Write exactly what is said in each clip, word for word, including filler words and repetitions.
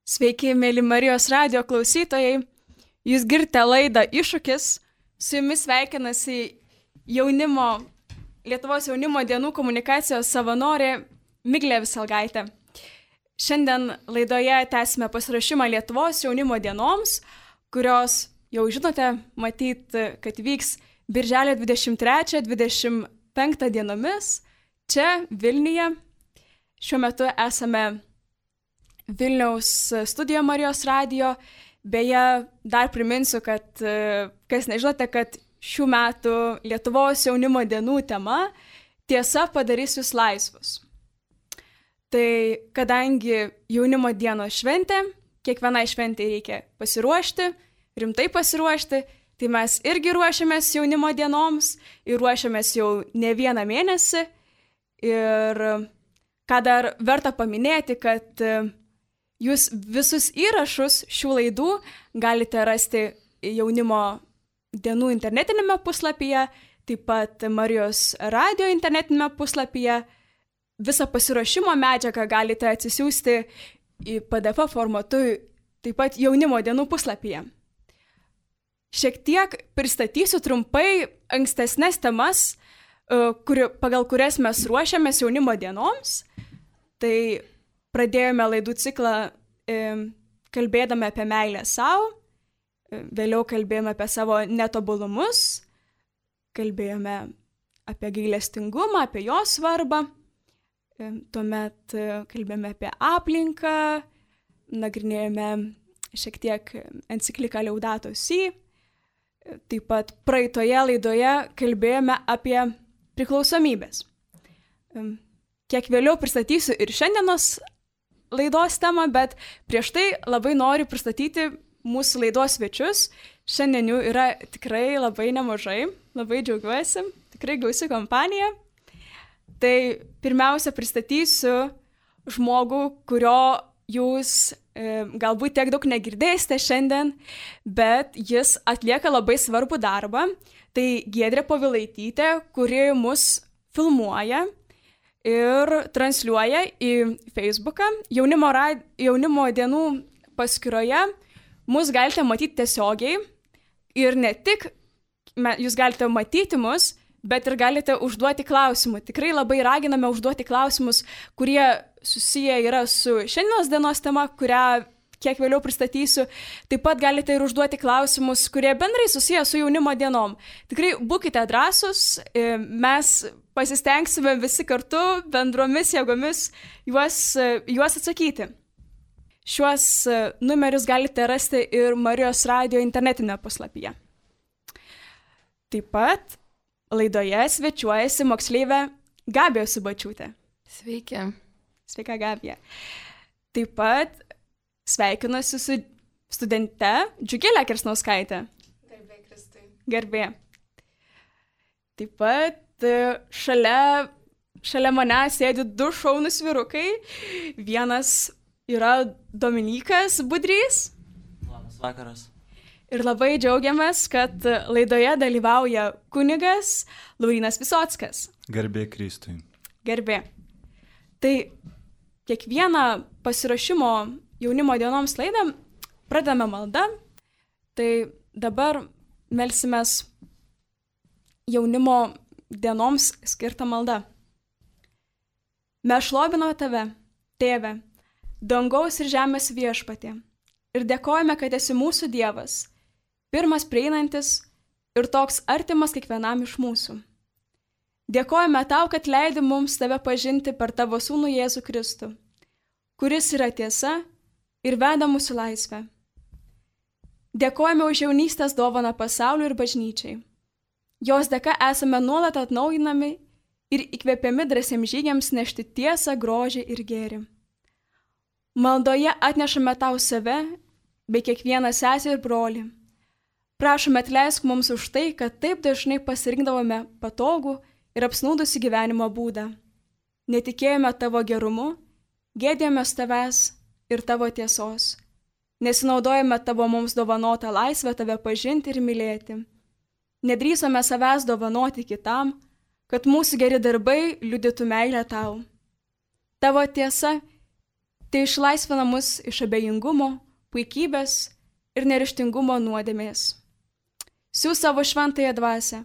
Sveiki, mėly Marijos radijo klausytojai. Jūs girdite laidą Iššūkis. Su jumis sveikinasi jaunimo, Lietuvos jaunimo dienų komunikacijos savanorė Miglė Viselgaitė. Šiandien laidoje tęsime pasiruošimą Lietuvos jaunimo dienoms, kurios jau žinote, matyt, kad vyks birželio dvidešimt trečią dvidešimt penktą dienomis čia Vilniuje. Šiuo metu esame Vilniaus studijoje Marijos radijo. Beje, dar priminsiu, kad, kas nežinote, kad šių metų Lietuvos jaunimo dienų tema tiesa padarys jūs laisvus. Tai kadangi jaunimo dienos šventė, kiekvienai šventė reikia pasiruošti, rimtai pasiruošti, tai mes irgi ruošiamės jaunimo dienoms ir ruošiamės jau ne vieną mėnesį. Ir ką dar verta paminėti, kad jūs visus įrašus šių laidų galite rasti jaunimo dienų internetinėme puslapyje, taip pat Marijos radijo internetinėme puslapyje. Visą pasiruošimo medžiagą galite atsisiųsti į P D F formatu, taip pat jaunimo dienų puslapyje. Šiek tiek pristatysiu trumpai ankstesnės temas, kur, pagal kurias mes ruošiamės jaunimo dienoms. Tai pradėjome laidų ciklą e, kalbėdami apie meilę savo, e, vėliau kalbėjome apie savo netobulumus, kalbėjome apie gailestingumą, apie jo svarbą, e, tuomet e, kalbėjome apie aplinką, nagrinėjome šiek tiek encikliką Laudato Si, e, taip pat praeitoje laidoje kalbėjome apie priklausomybės. E, kiek vėliau pristatysiu ir šiandienos laidos temą, bet prieš tai labai noriu pristatyti mūsų laidos svečius. Šiandien jų yra tikrai labai nemažai, labai džiaugiuosi, tikrai gausi kompanija. Tai pirmiausia pristatysiu žmogų, kurio jūs e, galbūt tiek daug negirdėsite šiandien, bet jis atlieka labai svarbų darbą. Tai Giedrė Povilaitytė, kuri mus filmuoja ir transliuoja į Facebooką. Jaunimo, rad... jaunimo dienų paskyroje mus galite matyti tiesiogiai ir ne tik jūs galite matyti mus, bet ir galite užduoti klausimų. Tikrai labai raginame užduoti klausimus, kurie susiję yra su šiandienos dienos tema, kurią kiek vėliau pristatysiu. Taip pat galite ir užduoti klausimus, kurie bendrai susiję su jaunimo dienom. Tikrai būkite drąsūs, mes pasistengsime visi kartu bendromis jėgomis juos, juos atsakyti. Šiuos numerius galite rasti ir Marijos radijo internetinėme puslapyje. Taip pat laidoje svečiuojasi moksleivė Gabija Subačiūtė. Sveiki. Sveika, Gabija. Taip pat sveikinuosi su studente Džiugile Kersnauskaite. Garbė Kristui. Garbė. Taip pat šalia, šalia mane sėdi du šaunūs vyrukai. Vienas yra Dominykas Budrys. Labas vakaras. Ir labai džiaugiamės, kad laidoje dalyvauja kunigas Laurynas Visockas. Garbė Kristui. Garbė. Tai kiekvieną pasiruošimo jaunimo dienoms laidą pradame maldą. Tai dabar melsimės jaunimo dienoms skirtą maldą. Mes šloviname tave, tėve, dangaus ir žemės viešpatie, ir dėkojame, kad esi mūsų Dievas, pirmas prieinantis ir toks artimas kiekvienam iš mūsų. Dėkojame tau, kad leidi mums tave pažinti per tavo sūnų Jėzų Kristų, kuris yra tiesa ir veda mūsų laisvę. Dėkojame už jaunystės dovaną pasauliui ir bažnyčiai. Jos dėka esame nuolat atnaujinami ir įkvėpiami drąsiems žygiams nešti tiesą, grožį ir gėrį. Maldoje atnešame tau save, bei kiekvieną sesę ir brolį. Prašome atleisk mums už tai, kad taip dažnai pasirinkdavome patogų ir apsnūdusi gyvenimo būdą. Netikėjome tavo gerumu, gėdėjomės tavęs ir tavo tiesos. Nesinaudojame tavo mums dovanotą laisvę tave pažinti ir mylėti. Nedrįsome savęs dovanoti kitam, kad mūsų geri darbai liudytų meilę tau. Tavo tiesa Tai išlaisvina mus iš abejingumo, puikybės ir neryžtingumo nuodėmės. Siųs savo šventąją dvasią,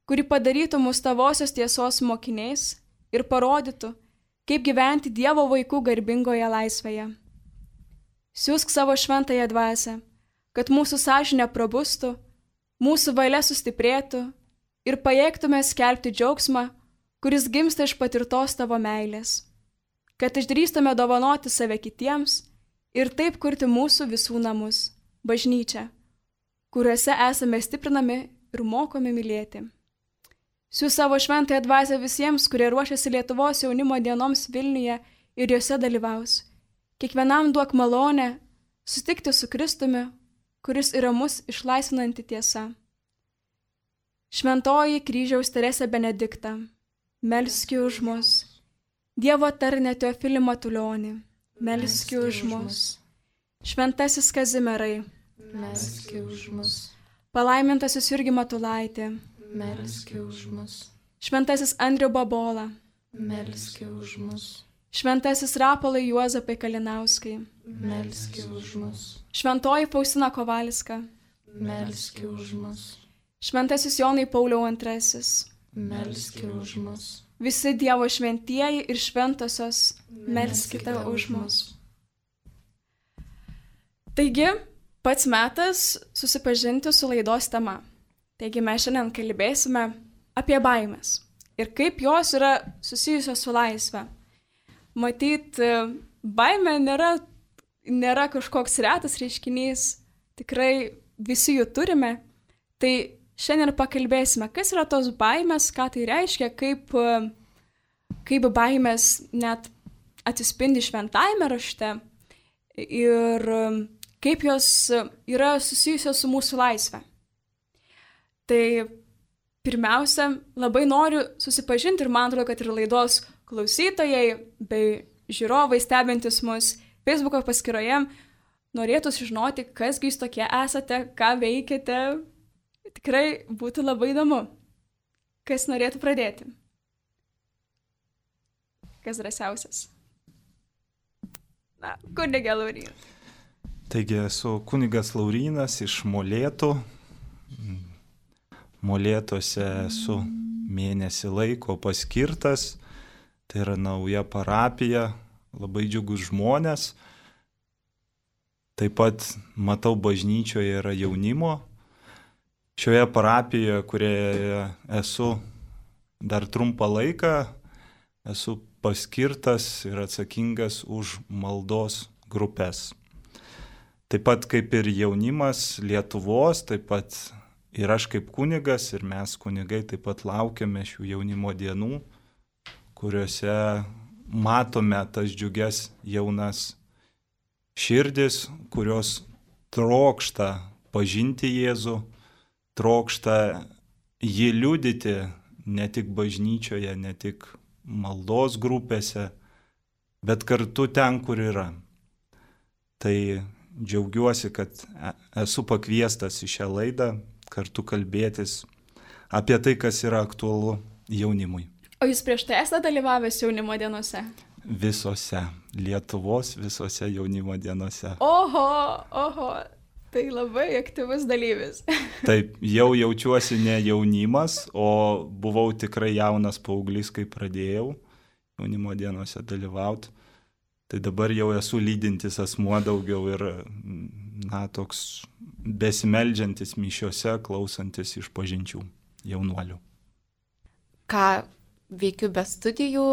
kuri padarytų mus tavosios tiesos mokiniais ir parodytų, kaip gyventi Dievo vaikų garbingoje laisvėje. Siųsk savo šventąją dvasią, kad mūsų sąžinė prabustų, mūsų valia sustiprėtų ir pajėgtume skelbti džiaugsmą, kuris gimsta iš patirtos tavo meilės, kad išdrįstume dovanoti save kitiems ir taip kurti mūsų visų namus, bažnyčią, kuriuose esame stiprinami ir mokomi mylėti. Siųs savo šventąją dvasią visiems, kurie ruošiasi Lietuvos jaunimo dienoms Vilniuje ir juose dalyvaus. Kiekvienam duok malonę sutikti su Kristumi, kuris yra mus išlaisvinanti tiesa. Šventoji kryžiaus Teresė Benedikta, melski už mus. Dievo tarne Teofilį Matulionį, melski už mus. Šventasis Kazimierai, melski už mus. Palaimintasis Jurgi Matulaitė, melski už mus. Šventasis Andrių Babola, melski už mus. Šventasis Rapolai Juozapai Kalinauskai, melski už mus. Šventoji Faustina Kovalska, melski už mus. Šventasis Jonai Pauliau antrasis, melski už mus. Visi Dievo šventieji ir šventosios, melskite už mus. Taigi, pats metas susipažinti su laidos tema. Taigi mes šiandien kalbėsime apie baimes ir kaip jos yra susijusios su laisve. Matyt, baimė nėra, nėra kažkoks retas reiškinys, tikrai visi jų turime. Tai šiandien pakalbėsime, kas yra tos baimės, ką tai reiškia, kaip, kaip baimės net atsispindi šventajame rašte ir kaip jos yra susijusios su mūsų laisve. Tai pirmiausia, labai noriu susipažinti ir man atrodo, kad ir laidos klausytojai bei žiūrovai stebintis mus Facebooko paskyroje norėtų sužinoti, kasgi jūs tokie esate, ką veikiate. Tikrai būtų labai įdomu. Kas norėtų pradėti? Kas drąsiausias? Na, kunigė Laurynas. Taigi esu kunigas Laurynas iš Molėtų. Molėtuose esu mėnesį laiko paskirtas. Tai yra nauja parapija, labai džiugus žmonės. Taip pat matau bažnyčioje yra jaunimo. Šioje parapijoje, kurioje esu dar trumpą laiką, esu paskirtas ir atsakingas už maldos grupės. Taip pat kaip ir jaunimas Lietuvos, taip pat ir aš kaip kunigas, ir mes kunigai taip pat laukiame šių jaunimo dienų, kuriuose matome tas džiugias jaunas širdis, kurios trokšta pažinti Jėzų, trokšta jį liudyti ne tik bažnyčioje, ne tik maldos grupėse, bet kartu ten, kur yra. Tai džiaugiuosi, kad esu pakviestas į šią laidą kartu kalbėtis apie tai, kas yra aktualu jaunimui. O jūs prieš tai esate dalyvavęs jaunimo dienose? Visose, Lietuvos visose jaunimo dienose. Oho, oho, tai labai aktyvus dalyvis. Taip, jau jaučiuosi ne jaunimas, o buvau tikrai jaunas paauglys, kai pradėjau jaunimo dienose dalyvauti. Tai dabar jau esu lydintis asmuo daugiau ir, na, toks besimeldžiantis mišiose, klausantis išpažinčių jaunuolių. Ką veikiu be studijų,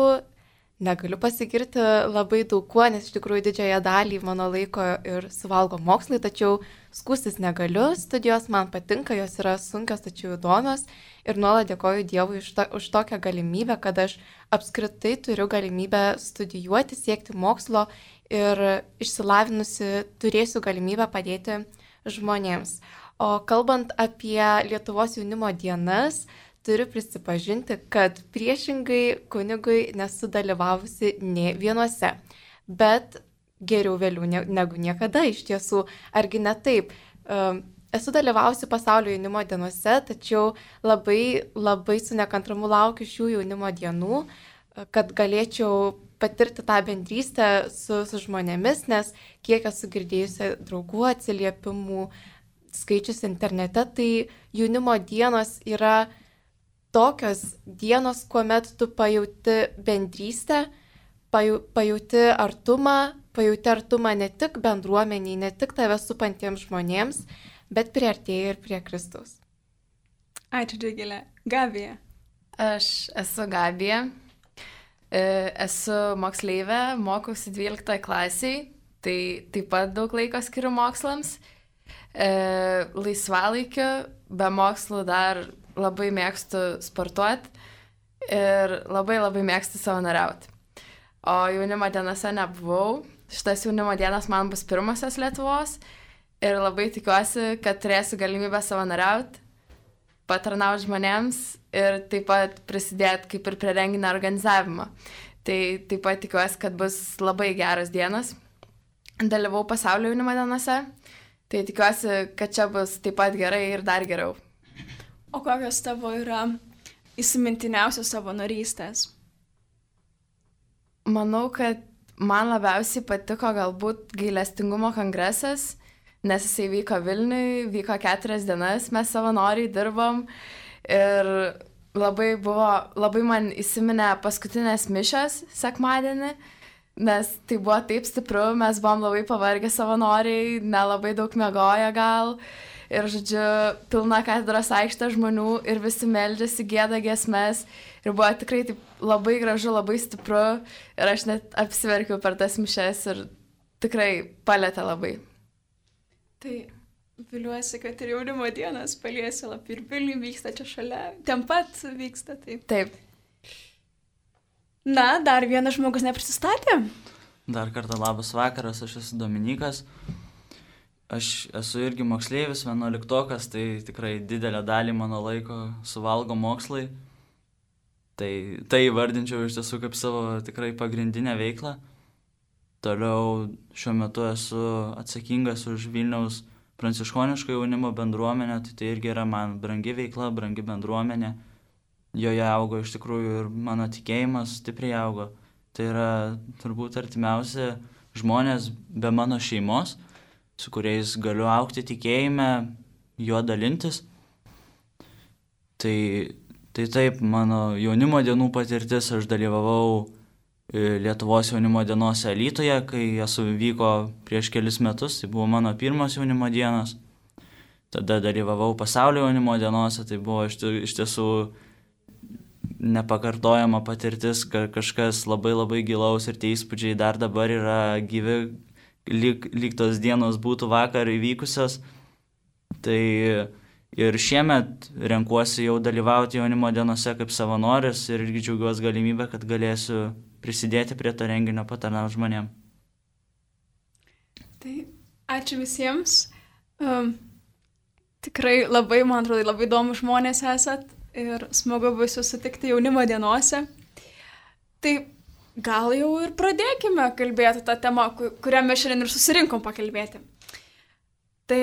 negaliu pasigirti labai daug kuo, nes iš tikrųjų didžiąją dalį mano laiko ir suvalgo mokslai, tačiau skųstis negaliu. Studijos man patinka, jos yra sunkios, tačiau įdomios ir nuolat dėkoju Dievui už, to, už tokią galimybę, kad aš apskritai turiu galimybę studijuoti, siekti mokslo ir išsilavinusi turėsiu galimybę padėti žmonėms. O kalbant apie Lietuvos jaunimo dienas, turiu prisipažinti, kad priešingai kunigui nesu dalyvavusi nė vienuose, bet geriau vėliau negu niekada iš tiesų, argi ne taip. Esu dalyvavusi pasaulio jaunimo dienose, tačiau labai, labai su nekantrumu laukiu šių jaunimo dienų, kad galėčiau patirti tą bendrystę su, su žmonėmis, nes kiek esu girdėjusi draugų atsiliepimų, skaičius internete, tai jaunimo dienos yra tokios dienos, kuomet tu pajauti bendrystę, paju, pajauti artumą, pajauti artumą ne tik bendruomeniai, ne tik tave supantiems žmonėms, bet priartėjai ir prie Kristaus. Ačiū, Džigilė. Gabija. Aš esu Gabija, esu moksleivė, mokausi dvyliktoje klasiai, tai taip pat daug laiko skiriu mokslams. Laisvalaikiu, be mokslų dar labai mėgstu sportuoti ir labai labai mėgstu savanoriauti. O jaunimo dienose nebuvau. Šitas jaunimo dienas man bus pirmosios Lietuvos ir labai tikiuosi, kad turėsiu galimybę savanoriauti, patarnauti žmonėms ir taip pat prisidėti kaip ir prie renginio organizavimo. Tai taip pat tikiuosi, kad bus labai geras dienas. Dalyvau pasaulio jaunimo dienose, tai tikiuosi, kad čia bus taip pat gerai ir dar geriau. O kokios tavo yra įsimintiniausios savanorystės? Manau, kad man labiausiai patiko galbūt gailestingumo kongresas, nes jisai vyko Vilniui, vyko keturias dienas, mes savanoriai dirbom ir labai buvo, labai man įsiminė paskutinės mišios sekmadienį, nes tai buvo taip stipru, mes buvom labai pavargę savanoriai, nelabai daug miegoję gal. Ir, žodžiu, pilna katedros aikštė žmonių ir visi meldžiasi, gieda giesmes. Ir buvo tikrai taip labai gražu, labai stipru. Ir aš net apsiverkiau per tas mišes ir tikrai palėtė labai. Tai viliuosi, kad ir jaunimo dienas paliesi lapį ir Vilniui vyksta čia šalia. Ten pat vyksta, taip. Taip. Na, dar vienas žmogus neprisistatė. Dar kartą labas vakaras, aš esu Dominikas. Aš esu irgi moksleivis, vienuoliktokas, tai tikrai didelę dalį mano laiko suvalgo mokslai. Tai tai įvardinčiau iš tiesų kaip savo tikrai pagrindinę veiklą. Toliau šiuo metu esu atsakingas už Vilniaus pranciškoniško jaunimo bendruomenę, tai tai irgi yra man brangi veikla, brangi bendruomenė. Joje augo iš tikrųjų ir mano tikėjimas stipriai augo. Tai yra turbūt artimiausi žmonės be mano šeimos, su kuriais galiu augti tikėjime, juo dalintis. Tai, tai taip, mano jaunimo dienų patirtis, aš dalyvavau Lietuvos jaunimo dienose Alytuje, kai esu vyko prieš kelis metus, tai buvo mano pirmos jaunimo dienos. Tada dalyvavau pasaulio jaunimo dienose, tai buvo iš, iš tiesų nepakartojama patirtis, kažkas labai labai gilaus ir tie įspūdžiai dar dabar yra gyvi, lyg, lyg tos dienos būtų vakar įvykusios. Tai ir šiemet renkuosi jau dalyvauti jaunimo dienose kaip savanoris ir irgi džiaugiuosi galimybę, kad galėsiu prisidėti prie to renginio, patarnauti žmonėm. Tai ačiū visiems. Um, tikrai labai, man atrodo, labai įdomu žmonės esat ir smagu bus jūs sutikti jaunimo dienose. Tai gal jau ir pradėkime kalbėti tą temą, kurią mes šiandien ir susirinkom pakalbėti. Tai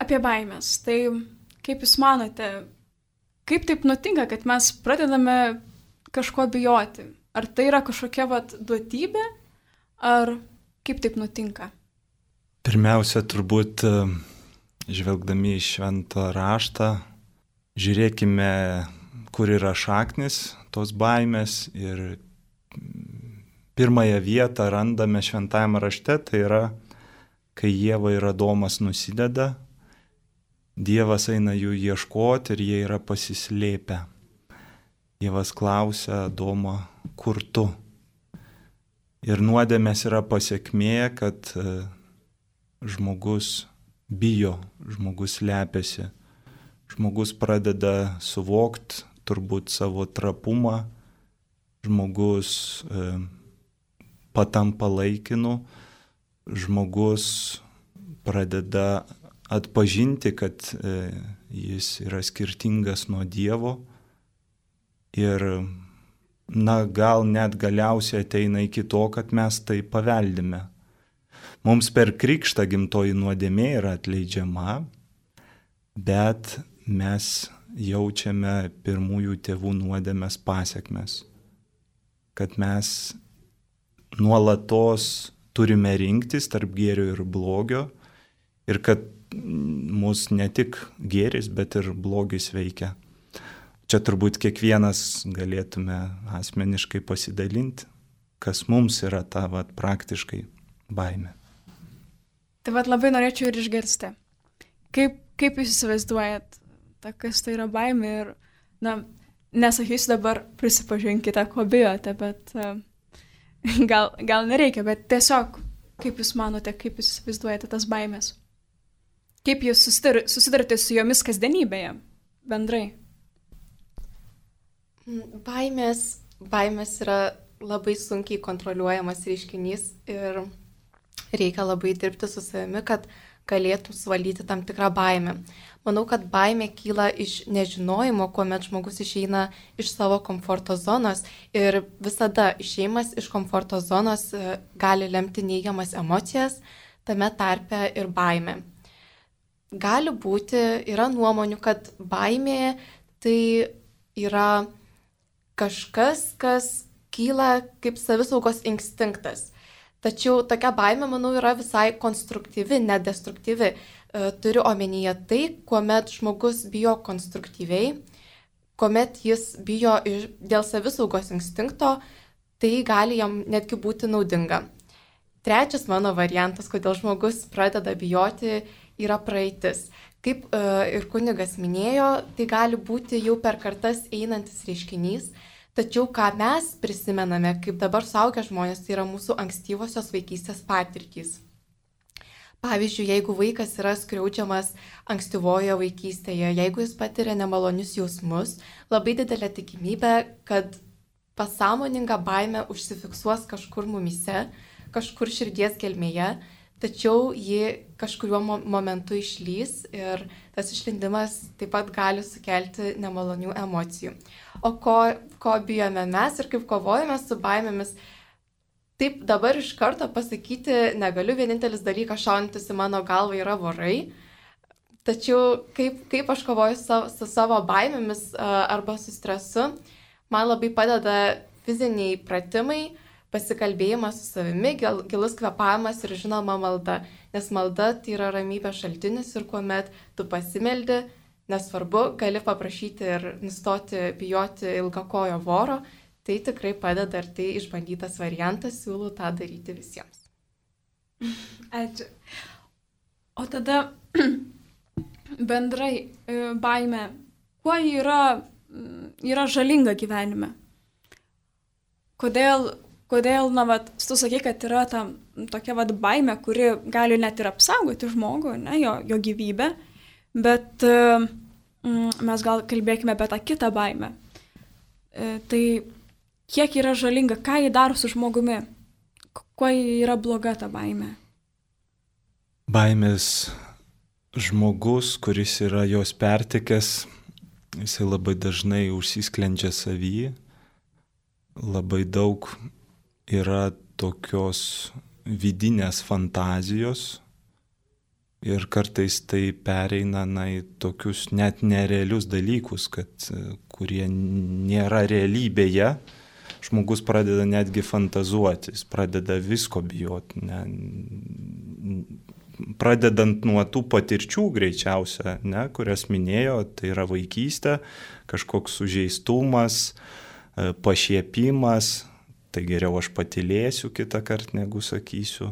apie baimės. Tai kaip jūs manote, kaip taip nutinka, kad mes pradedame kažko bijoti? Ar tai yra kažkokia vat duotybė, ar kaip taip nutinka? Pirmiausia, turbūt žvelgdami į šventą raštą, žiūrėkime, kur yra šaknis tos baimės ir pirmąją vietą randame šventajame rašte, tai yra, kai Ieva ir Adomas nusideda, Dievas eina jų ieškoti ir jie yra pasislėpę. Dievas klausia Adomą, kur tu? Ir nuodėmės yra pasiekmė, kad žmogus bijo, žmogus slepiasi, žmogus pradeda suvokti turbūt savo trapumą, žmogus e, patampa laikinu, žmogus pradeda atpažinti, kad e, jis yra skirtingas nuo Dievo ir, na, gal net galiausiai ateina iki to, kad mes tai paveldime. Mums per krikštą gimtoji nuodėmė yra atleidžiama, bet mes jaučiame pirmųjų tėvų nuodėmės pasekmes. kad mes nuolatos turime rinktis tarp gėrio ir blogio ir kad mus ne tik gėris, bet ir blogis veikia. Čia turbūt kiekvienas galėtume asmeniškai pasidalinti, kas mums yra ta vat, praktiškai baimė. Tai vat labai norėčiau ir išgirsti. Kaip, kaip jūs įsivaizduojat, ta, kas tai yra baimė ir, na, nesakysiu dabar prisipažinkite, ko bijote, bet uh, gal, gal nereikia, bet tiesiog, kaip jūs manote, kaip jūs įsivaizduojate tas baimės? Kaip jūs susidar, susidarate su jomis kasdienybėje, bendrai? Baimės, baimės yra labai sunkiai kontroliuojamas reiškinys ir reikia labai dirbti su savimi, kad galėtų suvaldyti tam tikrą baimę. Manau, kad baimė kyla iš nežinojimo, kuomet žmogus išeina iš savo komforto zonos ir visada išėjimas iš komforto zonos gali lemti neigiamas emocijas, tame tarpe ir baimė. Gali būti, yra nuomonių, kad baimė tai yra kažkas, kas kyla kaip savisaugos instinktas. Tačiau tokia baimė, manau, yra visai konstruktyvi, nedestruktyvi. Turiu omenyje tai, kuomet žmogus bijo konstruktyviai, kuomet jis bijo dėl savisaugos instinkto, tai gali jam netgi būti naudinga. Trečias mano variantas, kodėl žmogus pradeda bijoti, yra praeitis. Kaip ir kunigas minėjo, tai gali būti jau per kartas einantis reiškinys, tačiau ką mes prisimename, kaip dabar suaugę žmonės, tai yra mūsų ankstyvosios vaikystės patirtys. Pavyzdžiui, jeigu vaikas yra skriaudžiamas ankstyvoje vaikystėje, jeigu jis patiria nemalonius jausmus, labai didelė tikimybė, kad pasąmoninga baimė užsifiksuos kažkur mumyse, kažkur širdies gelmėje, tačiau ji kažkuriuo momentu išlys ir tas išlindimas taip pat gali sukelti nemalonių emocijų. O ko, ko bijome mes ir kaip kovojame su baimėmis, taip dabar iš karto pasakyti negaliu, vienintelis dalykas šaunantis į mano galvą yra vorai, tačiau kaip, kaip aš kovoju su, su savo baimėmis arba su stresu, man labai padeda fiziniai pratimai, pasikalbėjimas su savimi, gil, gilus kvėpavimas ir žinoma malda, nes malda tai yra ramybės šaltinis ir kuomet tu pasimeldi, nesvarbu, gali paprašyti ir nustoti bijoti ilgakojo voro, tai tikrai padeda ir tai išbandytas variantas, siūlau tą daryti visiems. Ačiū. O tada bendrai baimė, kuo yra, yra žalinga gyvenime? Kodėl Kodėl, na, vat, tu sakai, kad yra ta tokia vat baimė, kuri gali net ir apsaugoti žmogų, ne, jo, jo gyvybę, bet mm, mes gal kalbėkime apie tą kitą baimę. E, tai kiek yra žalinga, ką jį daro su žmogumi, kuo yra bloga ta baimė? Baimės žmogus, kuris yra jos pertekęs, jisai labai dažnai užsisklendžia savyje, labai daug yra tokios vidinės fantazijos ir kartais tai pereina na, į tokius net nerealius dalykus, kad, kurie nėra realybėje. Žmogus pradeda netgi fantazuoti, jis pradeda visko bijoti. Ne, pradedant nuo tų patirčių greičiausia, ne, kurias minėjo, tai yra vaikystė, kažkoks sužeistumas, pašiepimas, tai geriau aš patylėsiu kitą kartą, negu sakysiu.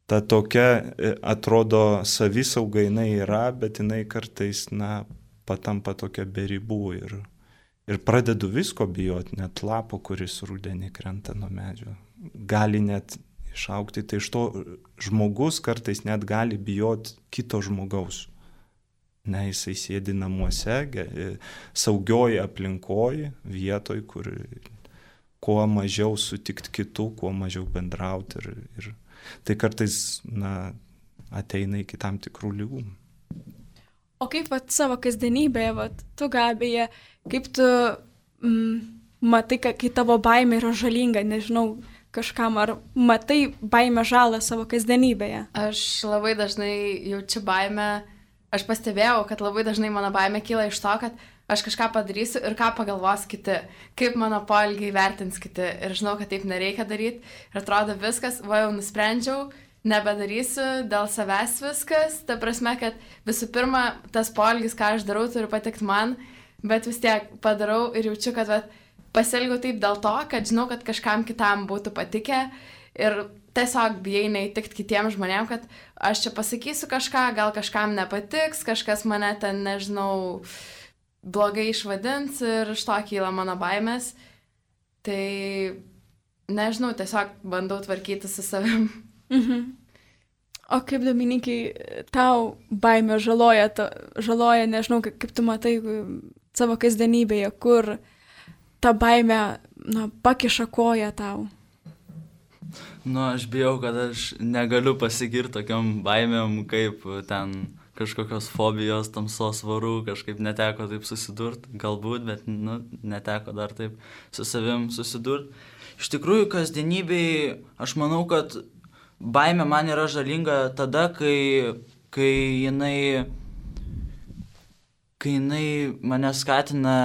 Ta tokia, atrodo, savisauga jinai yra, bet jinai kartais, na, patampa tokia be ribų ir, ir pradedu visko bijoti, net lapo, kuris rudenį krenta nuo medžio. Gali net išaugti, tai iš to žmogus kartais net gali bijoti kito žmogaus. Ne, jisai sėdi namuose, saugioj aplinkoj, vietoj, kur kuo mažiau sutikti kitų, kuo mažiau bendrauti. Ir, ir tai kartais na, ateina iki tam tikrų lygų. O kaip vat, savo kasdienybėje, vat, tu Gabija, kaip tu mm, matai, kai tavo baimė yra žalinga, nežinau, kažkam, ar matai baimę žalą savo kasdienybėje? Aš labai dažnai jaučiu baimę. Aš pastebėjau, kad labai dažnai mano baimė kyla iš to, kad aš kažką padarysiu ir ką pagalvos kiti, kaip mano poelgiai vertins kiti. Ir žinau, kad taip nereikia daryti. Ir atrodo viskas, va jau nusprendžiau, nebedarysiu, dėl savęs viskas. Ta prasme, kad visų pirma, tas poelgis, ką aš darau, turi patikti man, bet vis tiek padarau ir jaučiu, kad va, pasielgiau taip dėl to, kad žinau, kad kažkam kitam būtų patikę. Ir tiesiog bijai neįtikti kitiems žmonėms, kad aš čia pasakysiu kažką, gal kažkam nepatiks, kažkas mane ten, nežinau, blogai išvadins ir iš to kyla mano baimės. Tai, nežinau, tiesiog bandau tvarkyti su savim. Mhm. O kaip, Dominikai, tau baimė žaloja, ta, žaloja, nežinau, kaip, kaip tu matai savo kasdienybėje, kur ta baimė, na, pakiša koją tau? Nu, aš bijau, kad aš negaliu pasigirti tokiam baimėm, kaip ten kažkokios fobijos, tamsos varų, kažkaip neteko taip susidurt, galbūt, bet, nu, neteko dar taip su savim susidurt. Iš tikrųjų, kasdienybėj, aš manau, kad baimė man yra žalinga tada, kai, kai jinai, kai jinai mane skatina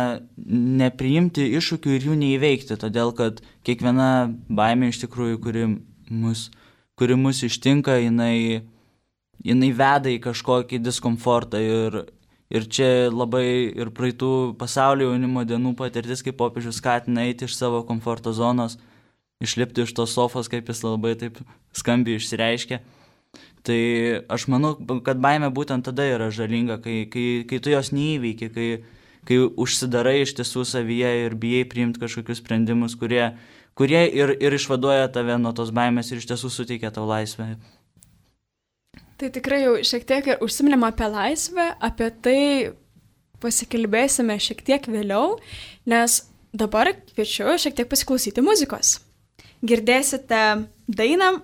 nepriimti iššūkių ir jų neįveikti, todėl kad kiekviena baimė iš tikrųjų, kuri mus, kuri mus ištinka, jinai, jinai veda į kažkokį diskomfortą ir, ir čia labai ir praeitų pasaulio jaunimo dienų patirtis, kaip popiežius skatina eiti iš savo komforto zonos, išlipti iš tos sofos, kaip jis labai taip skambiai išsireiškia. Tai aš manau, kad baimė būtent tada yra žalinga, kai, kai, kai tu jos neįveiki, kai, kai užsidarai iš tiesų savyje ir bijai priimti kažkokius sprendimus, kurie, kurie ir, ir išvaduoja tave nuo tos baimės ir iš tiesų suteikia tau laisvę. Tai tikrai jau šiek tiek ir užsiminėm apie laisvę, apie tai pasikalbėsime šiek tiek vėliau, nes dabar kviečiu šiek tiek pasiklausyti muzikos. Girdėsite dainą,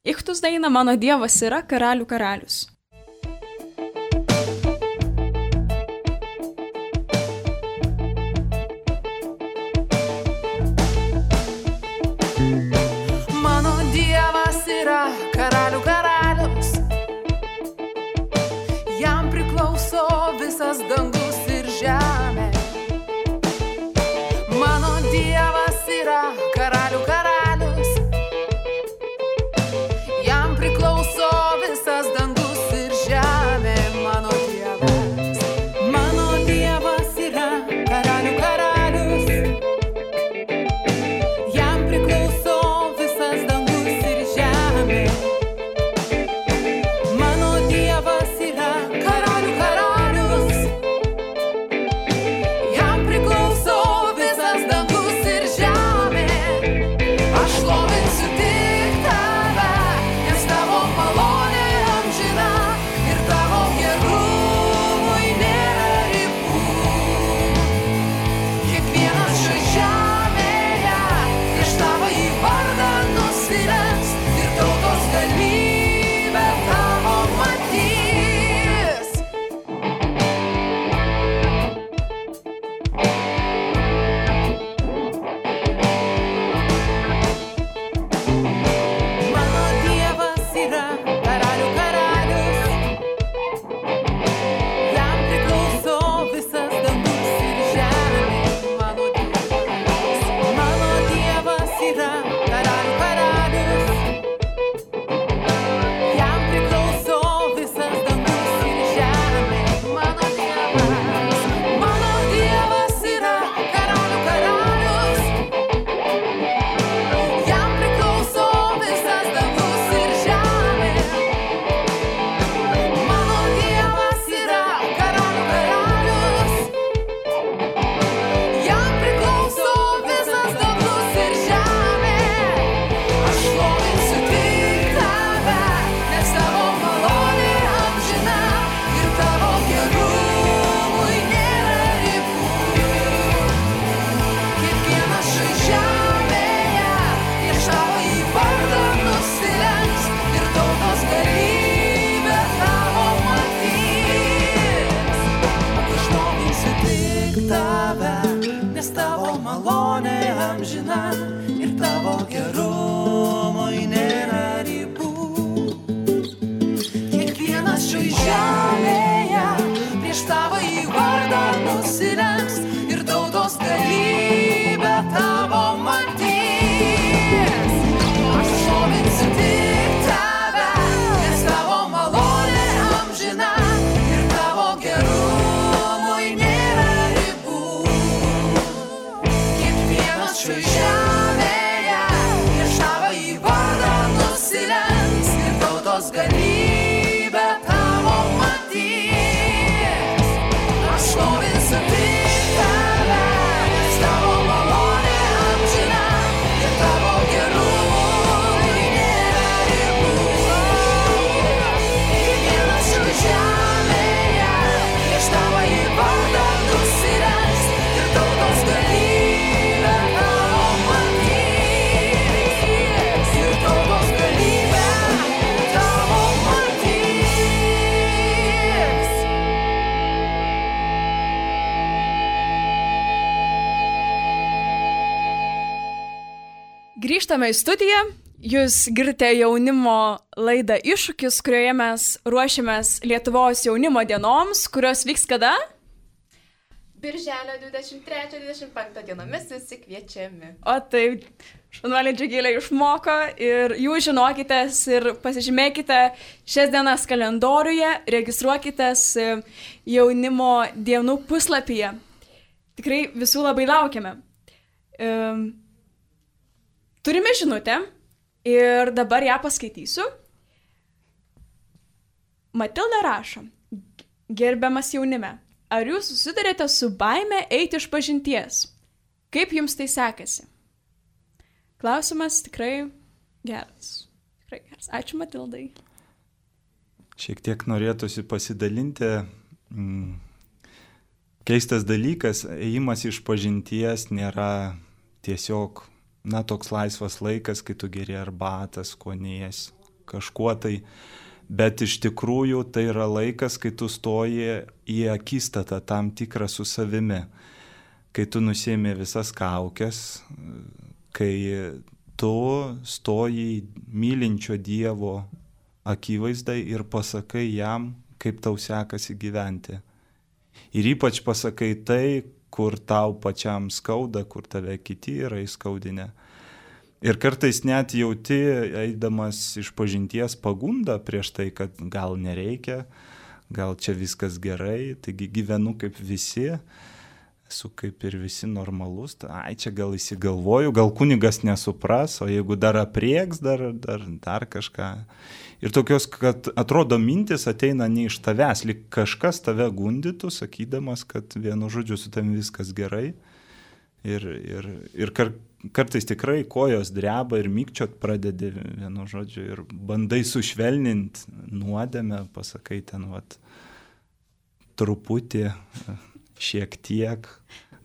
Ichtus dainą Mano Dievas yra karalių karalius. Mano Dievas yra karalių karalius, jam priklauso visas dangus ir žemė. Mano Dievas yra karalių karalius, visas dangus ir žemė, mano Dievas. Mano Dievas yra karalių karalius, jam priklauso visas dangus ir žemė. tautos galybę tavo matys. Aš šlovinsiu tik tave, nes tavo malonė amžina ir tavo gerumui nėra ribų. Kiekvienas šių žemėje prieš tavo į vardą nusirengs ir tautos galybę tavo matys. Ir tautos galybę tavo matys. Grįžtame į studiją. Jūs girdite jaunimo laidą Iššūkis, kurioje mes ruošiamės Lietuvos jaunimo dienoms, kurios vyks kada? Birželio dvidešimt trečią dvidešimt penktą dienomis visi kviečiami. O taip, šaunuolė Džiugilė išmoko ir jūs žinokitės ir pasižymėkite šias dienas kalendoriuje, registruokitės jaunimo dienų puslapyje. Tikrai visų labai laukiame. Um, turime žinutę ir dabar ją paskaitysiu. Matilda rašo: gerbiamas jaunime, ar jūs susidarėte su baime eiti iš pažinties? Kaip jums tai sekasi? Klausimas tikrai geras. Tikrai geras. Ačiū Matildai. Šiek tiek norėtųsi pasidalinti. Mm, keistas dalykas, ėjimas iš pažinties nėra tiesiog, na, toks laisvas laikas, kai tu geri arbatą, skonies, kažkuo tai. Bet iš tikrųjų tai yra laikas, kai tu stoji į akistatą tam tikrą su savimi. Kai tu nusiemi visas kaukes, kai tu stoji mylinčio Dievo akivaizdai ir pasakai jam, kaip tau sekasi gyventi. Ir ypač pasakai tai, kur tau pačiam skauda, kur tave kiti yra įskaudinę. Ir kartais net jauti, eidamas iš pažinties, pagundą prieš tai, kad gal nereikia, gal čia viskas gerai, taigi gyvenu kaip visi, esu kaip ir visi normalus, ai čia gal įsigalvoju, gal kunigas nesupras, o jeigu dar aprieks, dar, dar, dar kažką. Ir tokios, kad atrodo mintis ateina ne iš tavęs, lyg kažkas tave gundytų, sakydamas, kad vienu žodžiu su tavim viskas gerai. Ir, ir, ir kar, kartais tikrai kojos dreba ir mykčiot pradedi vienu žodžiu ir bandai sušvelninti nuodėmę, pasakai ten, vat, truputį, šiek tiek,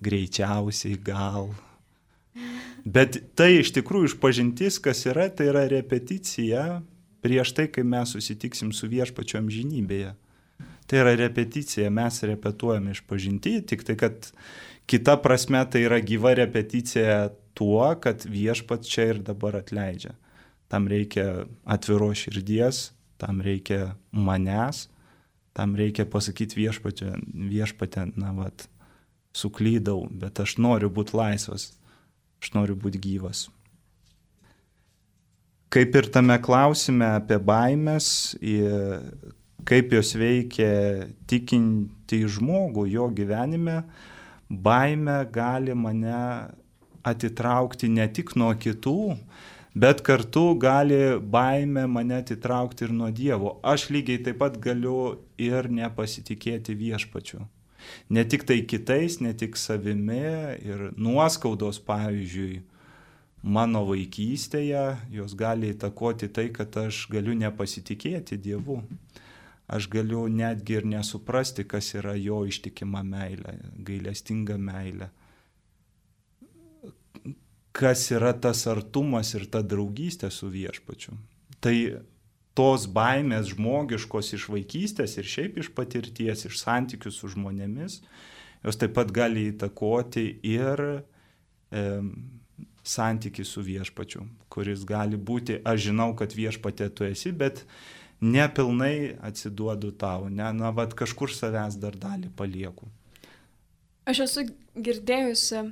greičiausiai gal. Bet tai iš tikrųjų išpažintis, kas yra, tai yra repeticija prieš tai, kai mes susitiksim su Viešpačiu amžinybėje. Tai yra repeticija, mes repetuojame išpažintį, tik tai, kad kita prasme tai yra gyva repeticija tuo, kad Viešpats čia ir dabar atleidžia. Tam reikia atviros širdies, tam reikia manęs, tam reikia pasakyti Viešpatė, Viešpatė, na vat, suklydau, bet aš noriu būti laisvas, aš noriu būti gyvas. Kaip ir tame klausime apie baimės, kaip jos veikia tikinti žmogų jo gyvenime, baimė gali mane atitraukti ne tik nuo kitų, bet kartu gali baimė mane atitraukti ir nuo Dievo. Aš lygiai taip pat galiu ir nepasitikėti Viešpačiu. Ne tik tai kitais, ne tik savimi ir nuoskaudos, pavyzdžiui, mano vaikystėje, jos gali įtakoti tai, kad aš galiu nepasitikėti Dievu. Aš galiu netgi ir nesuprasti, kas yra jo ištikima meilė, gailestinga meilė. Kas yra tas artumas ir ta draugystė su Viešpačiu. Tai tos baimės žmogiškos iš vaikystės ir šiaip iš patirties, iš santykių su žmonėmis, jos taip pat gali įtakoti ir e, santykį su Viešpačiu, kuris gali būti, aš žinau, kad Viešpatė tu esi, bet nepilnai atsiduodu tau, ne, na, vat kažkur savęs dar dalį palieku. Aš esu girdėjusi,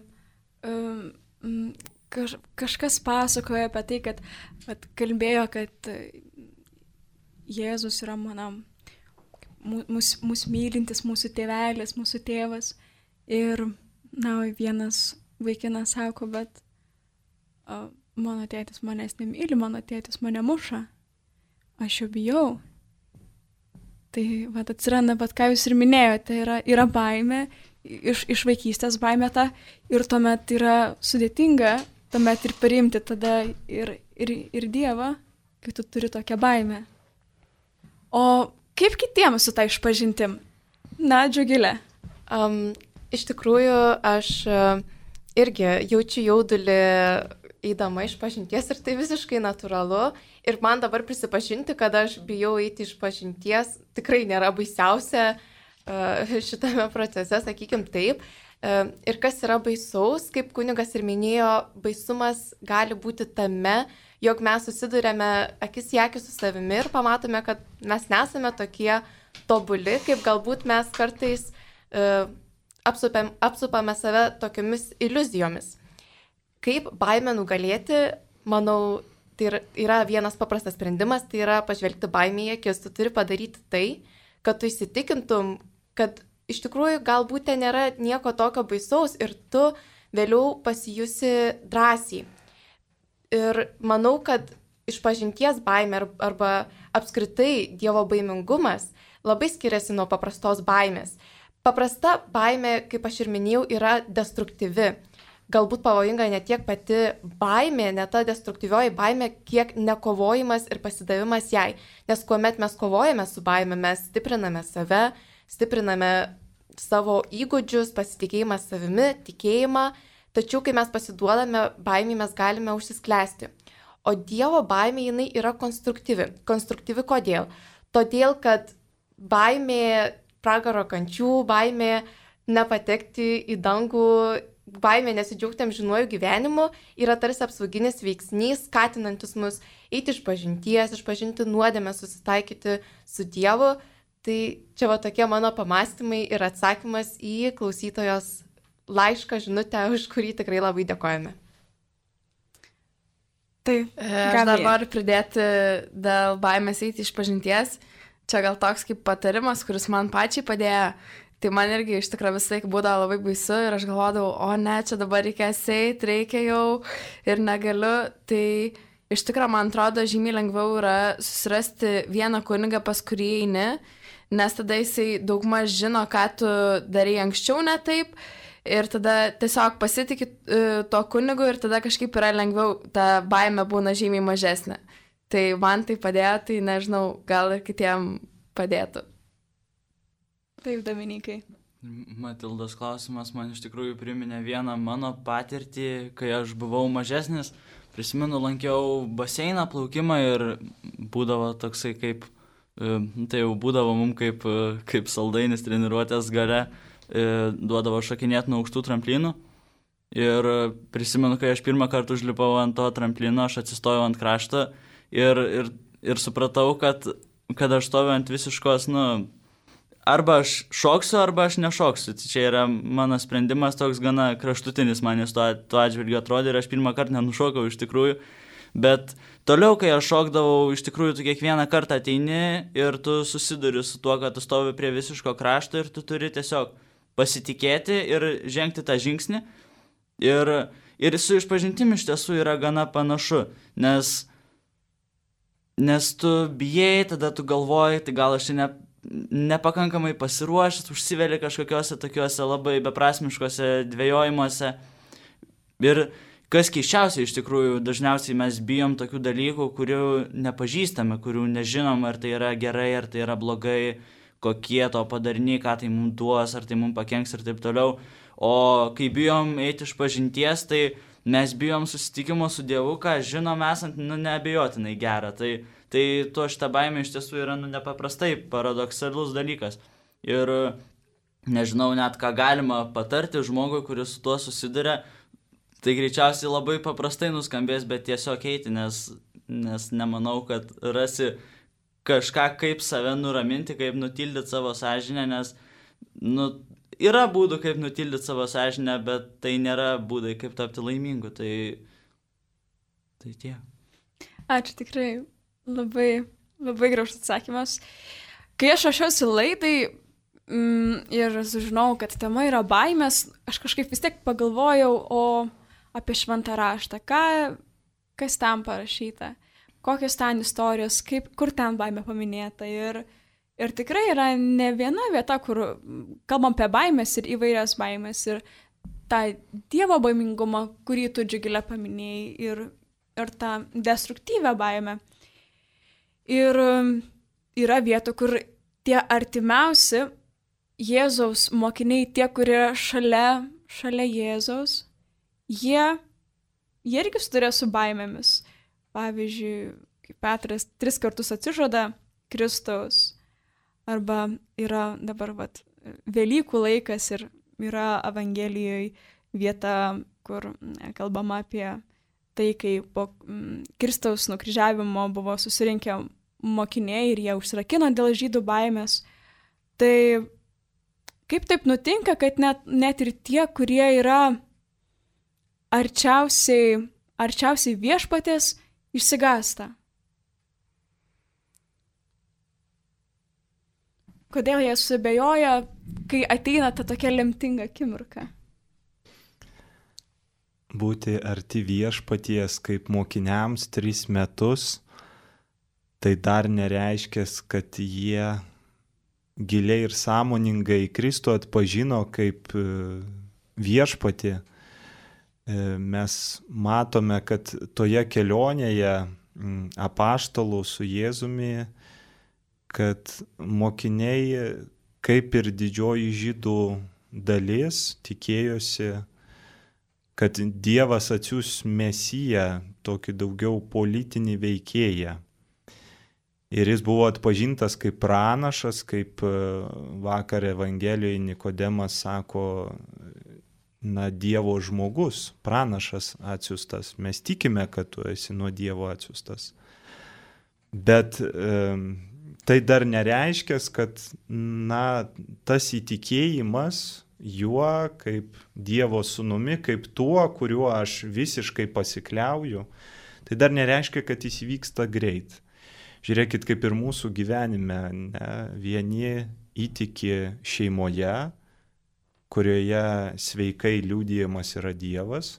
um, kaž, kažkas pasakojo apie tai, kad vat, kalbėjo, kad Jėzus yra mano mūsų mus mylintis, mūsų tėvelis, mūsų tėvas. Ir, na, vienas vaikinas sako, bet o, mano tėtis manęs nemyli, mano tėtis mane muša. aš jo bijau. Tai va, atsiranda, bet ką jūs ir minėjote, yra, yra baimė, iš, iš vaikystės baimė ta, ir tuomet yra sudėtinga, tuomet ir priimti tada ir, ir, ir Dievą, kai tu turi tokią baimę. O kaip kitiems su tą išpažintim? Na, Džiugilė. Um, iš tikrųjų, aš uh, irgi jaučiu jaudulį eidama išpažinties ir tai visiškai natūralu. Ir man dabar prisipažinti, kad aš bijau eiti išpažinties, tikrai nėra baisiausia uh, šitame procese, sakykim taip. Uh, ir kas yra baisaus, kaip kunigas ir minėjo, baisumas gali būti tame, jog mes susidurėme akis į akį su savimi ir pamatome, kad mes nesame tokie tobuli, kaip galbūt mes kartais uh, apsupėm, apsupame save tokiomis iliuzijomis. Kaip baimę nugalėti, manau, tai yra vienas paprastas sprendimas, tai yra pažvelgti baimę į akis. Tu turi padaryti tai, kad tu įsitikintum, kad iš tikrųjų galbūt ten nėra nieko tokio baisaus ir tu vėliau pasijusi drąsiai. Ir manau, kad išpažinties baimė arba apskritai Dievo baimingumas labai skiriasi nuo paprastos baimės. Paprasta baimė, kaip aš ir minėjau, yra destruktyvi. Galbūt pavojinga ne tiek pati baimė, ne ta destruktyvioji baimė, kiek nekovojimas ir pasidavimas jai. Nes kuomet mes kovojame su baimė, mes stipriname save, stipriname savo įgūdžius, pasitikėjimą savimi, tikėjimą, tačiau kai mes pasiduodame baimį, mes galime užsisklęsti. O Dievo baimė jinai yra konstruktyvi. Konstruktyvi kodėl? Todėl, kad baimė pragaro kančių, baimė nepatekti į dangų, baimė nesidžiaugti amžinuoju gyvenimu yra tarsi apsauginis veiksnys, skatinantis mus eiti išpažinties, išpažinti nuodėmę, susitaikyti su Dievu. Tai čia va tokie mano pamastymai ir atsakymas į klausytojos laišką, žinutę, už kurį tikrai labai dėkojame. Taip, aš dar noriu pridėti dėl baimės eiti išpažinties. Čia gal toks kaip patarimas, kuris man pačiai padėjo. Tai man irgi iš tikrųjų visai būdavo labai baisu ir aš galvodavau, o ne, čia dabar reikės eiti, reikia jau ir negaliu. Tai iš tikrųjų man atrodo žymiai lengviau yra susirasti vieną kunigą, pas kurį eini, nes tada jisai daugmaž žino, ką tu darai anksčiau ne taip ir tada tiesiog pasitikė to kunigu ir tada kažkaip yra lengviau, ta baimė būna žymiai mažesnė. Tai man tai padėjo, tai nežinau, gal ir kitiem padėtų. Taip, Dominikai. Matildos klausimas man iš tikrųjų priminė vieną mano patirtį, kai aš buvau mažesnis. Prisimenu, lankiau baseiną, plaukimą ir būdavo toksai kaip, tai jau būdavo mums kaip, kaip saldainis treniruotės gale, duodavo šokinėti nuo aukštų tramplinų. Ir prisimenu, kai aš pirmą kartą užlipau ant to tramplino, aš atsistojau ant krašto ir, ir, ir supratau, kad, kad aš stoviu ant visiškos, nu, arba aš šoksiu, arba aš nešoksiu. Čia yra mano sprendimas toks gana kraštutinis, man jis tuo, tuo atžvilgiu atrodė ir aš pirmą kartą nenušokau iš tikrųjų. Bet toliau, kai aš šokdavau, iš tikrųjų tu kiekvieną kartą ateini ir tu susiduri su tuo, kad tu stovi prie visiško krašto ir tu turi tiesiog pasitikėti ir žengti tą žingsnį. Ir, ir su išpažintim iš tiesų yra gana panašu, nes, nes tu bijai, tada tu galvoji, tai gal aš čia ne, nepakankamai pasiruošęs, užsiveli kažkokiuose tokiuose labai beprasmiškose dvejojimuose. Ir kas keiščiausia, iš tikrųjų, dažniausiai mes bijom tokių dalykų, kurių nepažįstame, kurių nežinom, ar tai yra gerai, ar tai yra blogai, kokie to padariniai, ką tai mums duos, ar tai mums pakenks ir taip toliau. O kai bijom eiti iš pažinties, tai mes bijom susitikimo su Dievu, ką žinom esant, nu, neabejotinai gerą. Tai, tai to šitą baimę iš tiesų yra, nu, nepaprastai paradoksalus dalykas. Ir nežinau net, ką galima patarti žmogui, kuris su tuo susiduria. Tai greičiausiai labai paprastai nuskambės, bet tiesiog eiti, nes, nes nemanau, kad rasi kažką, kaip save nuraminti, kaip nutildyti savo sąžinę, nes, nu, yra būdų, kaip nutildyti savo sąžinę, bet tai nėra būdai, kaip tapti laimingu. Tai, tai tie. Ačiū, tikrai labai, labai gražus atsakymas. Kai aš ruošiausi laidai mm, ir sužinau, kad tema yra baimės, aš kažkaip vis tiek pagalvojau o apie šventą raštą, ką, kas tam parašyta. kokios ten istorijos, kaip, kur ten baimė paminėta. Ir, ir tikrai yra ne viena vieta, kur kalbam apie baimės ir įvairias baimės. Ir tą Dievo baimingumą, kurį tu Džiugilė paminėjai, ir, ir tą destruktyvę baimę. Ir yra vietų, kur tie artimiausi Jėzaus mokiniai, tie, kurie šalia, šalia Jėzaus, jie, jie irgi sudarė su baimėmis. Pavyzdžiui, kaip Petras tris kartus atsižada Kristaus, arba yra dabar vat, Velykų laikas ir yra Evangelijoje vieta, kur kalbama apie tai, kai po Kristaus nukryžiavimo buvo susirinkę mokiniai ir jie užsirakino dėl žydų baimės. Tai kaip taip nutinka, kad net, net ir tie, kurie yra arčiausiai, arčiausiai viešpaties, išsigąsta? Kodėl jie susibejoja, kai ateina ta tokia lemtinga akimirka? Būti arti viešpaties kaip mokiniams tris metus, tai dar nereiškia, kad jie giliai ir sąmoningai Kristų atpažino kaip viešpatį. Mes matome, kad toje kelionėje apaštalų su Jėzumi, kad mokiniai, kaip ir didžioji žydų dalis, tikėjosi, kad Dievas atsiųs Mesiją, tokį daugiau politinį veikėją. Ir jis buvo atpažintas kaip pranašas, kaip vakar Evangelijoje Nikodemas sako, na, Dievo žmogus, pranašas atsiųstas. Mes tikime, kad tu esi nuo Dievo atsiųstas. Bet e, tai dar nereiškia, kad, na, tas įtikėjimas juo kaip Dievo sūnumi, kaip tuo, kuriuo aš visiškai pasikliauju, tai dar nereiškia, kad jis vyksta greit. Žiūrėkit, kaip ir mūsų gyvenime, ne? Vieni įtiki šeimoje, kurioje sveikai liudijamas yra Dievas,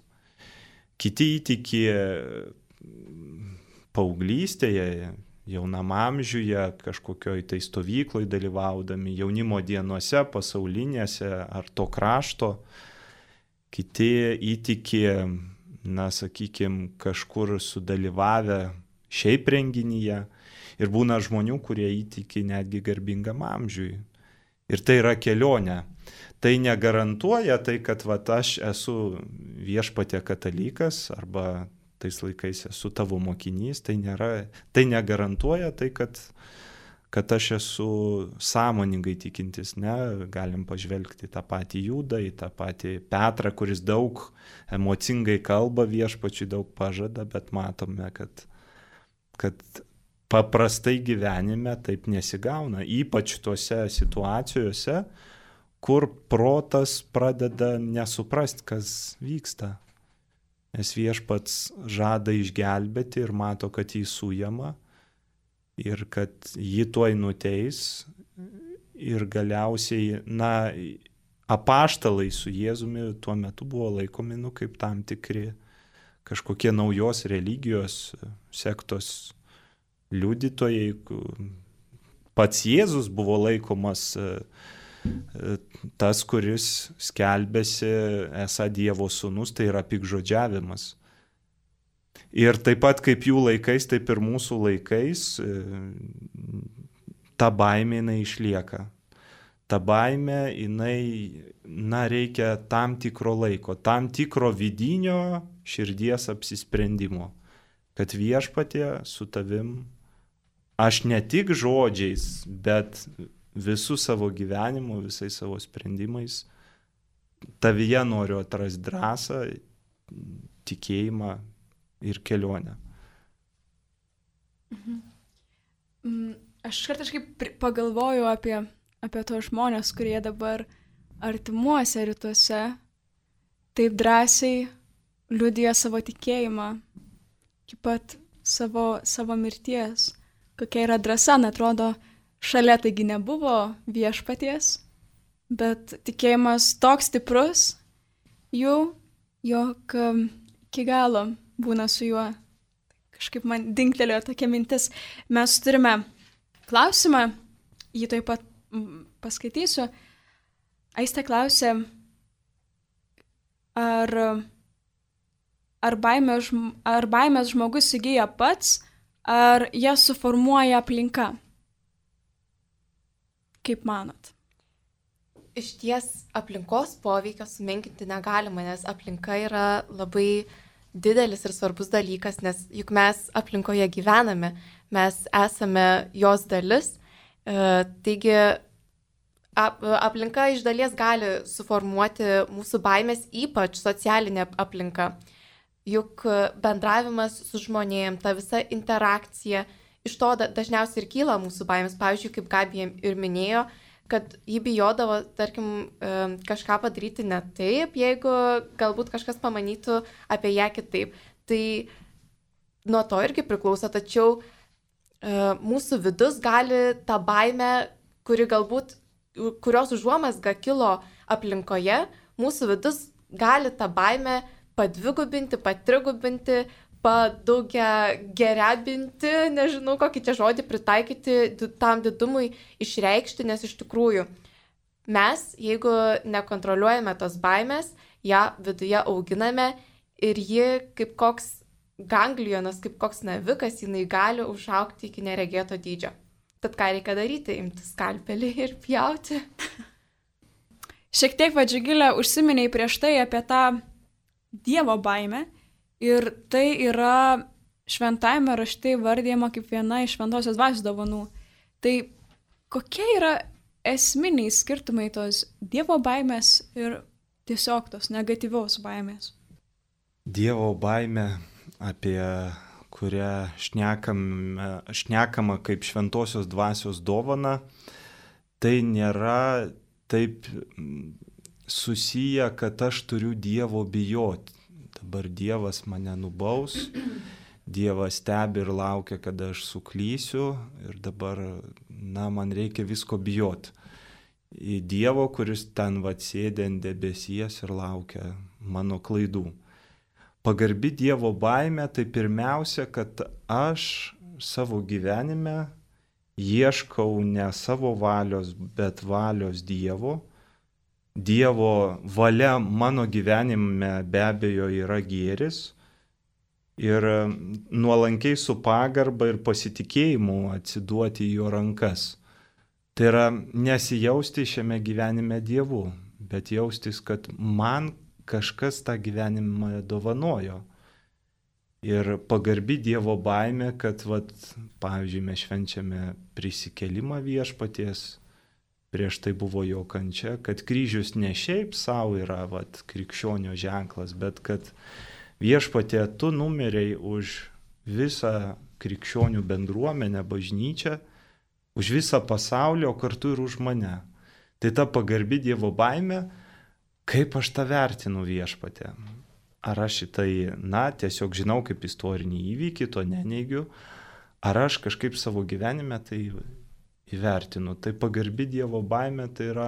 kiti įtiki paauglystėje, jaunam amžiuje, kažkokioj tai stovykloj dalyvaudami, jaunimo dienose, pasaulinėse ar to krašto, kiti įtiki, na, sakykime, kažkur sudalyvavę šiaip renginyje. Ir būna žmonių, kurie įtiki netgi garbingam amžiui. Ir tai yra kelionė. Tai negarantuoja tai, kad vat, aš esu viešpatie katalikas arba tais laikais esu tavo mokinys. Tai, nėra, tai negarantuoja tai, kad, kad aš esu sąmoningai tikintis. Ne? Galim pažvelgti tą patį Judą, į tą patį Petrą, kuris daug emocingai kalba, viešpačiui daug pažada, bet matome, kad, kad paprastai gyvenime taip nesigauna, ypač tuose situacijose, kur protas pradeda nesuprasti, kas vyksta. Nes viešpats žada išgelbėti ir mato, kad jį sujama ir kad jį tuoj nuteis ir galiausiai, na, apaštalai su Jėzumi tuo metu buvo laikomi, nu, kaip tam tikri kažkokie naujos religijos sektos liudytojai. Pats Jėzus buvo laikomas tas, kuris skelbėsi esą Dievo sūnus, tai yra piktžodžiavimas. Ir taip pat kaip jų laikais, taip ir mūsų laikais ta baimė jinai išlieka. Ta baimė jinai, na, reikia tam tikro laiko, tam tikro vidinio širdies apsisprendimo, kad viešpatie su tavim aš ne tik žodžiais, bet visų savo gyvenimu, visais savo sprendimais tavyje noriu atrasti drąsą, tikėjimą ir kelionę. Mhm. Aš kartais pagalvoju apie, apie tos žmonės, kurie dabar artimuose rytuose taip drąsiai liudija savo tikėjimą, iki pat savo, savo mirties. Kokia yra drąsa, atrodo, šalia taigi nebuvo viešpaties, bet tikėjimas toks stiprus jų, jog iki galo būna su juo. kažkaip man dingtelėjo tokia mintis. Mes turime klausimą, jį taip pat paskaitysiu. Aistė klausė, ar, ar, baimė, ar baimės žmogus įgyja pats, ar jas suformuoja aplinka? Kaip manot? Iš ties aplinkos poveikio sumenkinti negalima, nes aplinka yra labai didelis ir svarbus dalykas, nes juk mes aplinkoje gyvename, mes esame jos dalis, e, taigi ap, aplinka iš dalies gali suformuoti mūsų baimės, ypač socialinė aplinka. Juk bendravimas su žmonėm, ta visa interakcija, iš to dažniausiai ir kyla mūsų baimės. Pavyzdžiui, kaip Gabija ir minėjo, kad jį bijodavo, tarkim, kažką padaryti ne taip, jeigu galbūt kažkas pamanytų apie ją kitaip. Tai nuo to irgi priklauso, tačiau mūsų vidus gali tą baimę, kuri galbūt, kurios užuomazga kilo aplinkoje, mūsų vidus gali tą baimę padvigubinti, patrigubinti, padaugia gerabinti, nežinau, kokį čia žodį pritaikyti tam didumui išreikšti, nes iš tikrųjų mes, jeigu nekontroliuojame tos baimės, ją viduje auginame ir ji kaip koks ganglionas, kaip koks navikas, jinai gali užaugti iki neregėto dydžio. Tad ką reikia daryti? Imti skalpelį ir pjauti. Šiek tiek Vadžigilė užsiminiai prieš tai apie tą Dievo baimę. Ir tai yra šventajame rašte įvardyjama kaip viena iš šventosios dvasios dovanų. Tai kokie yra esminiai skirtumai tos Dievo baimės ir tiesiog tos negatyviaus baimės? Dievo baimė, apie kurią šnekama, šnekama kaip šventosios dvasios dovana, tai nėra taip susiję, kad aš turiu Dievo bijoti. Dabar Dievas mane nubaus, Dievas stebi ir laukia, kada aš suklysiu ir dabar, na, man reikia visko bijoti. Į Dievo, kuris ten vat sėdė ant debesies ir laukia mano klaidų. Pagarbi Dievo baimė, tai pirmiausia, kad aš savo gyvenime ieškau ne savo valios, bet valios Dievo. Dievo valia mano gyvenime be abejo yra gėris ir nuolankiai su pagarba ir pasitikėjimu atsiduoti į jo rankas. Tai yra nesijausti šiame gyvenime Dievu, bet jaustis, kad man kažkas tą gyvenimą dovanojo. Ir pagarbi Dievo baimė, kad, vat, pavyzdžiui, mes švenčiame prisikėlimą viešpaties, prieš tai buvo jo kančia, kad kryžius ne šiaip savo yra vat, krikščionio ženklas, bet kad viešpatie tu numeriai už visą krikščionių bendruomenę, bažnyčią, už visą pasaulį, o kartu ir už mane. Tai ta pagarbi Dievo baimė, kaip aš tą vertinu viešpatie. Ar aš šitai, na, tiesiog žinau kaip istorinį įvykį, to neneigiu, ar aš kažkaip savo gyvenime tai įvertinu. Tai pagarbi Dievo baimė, tai yra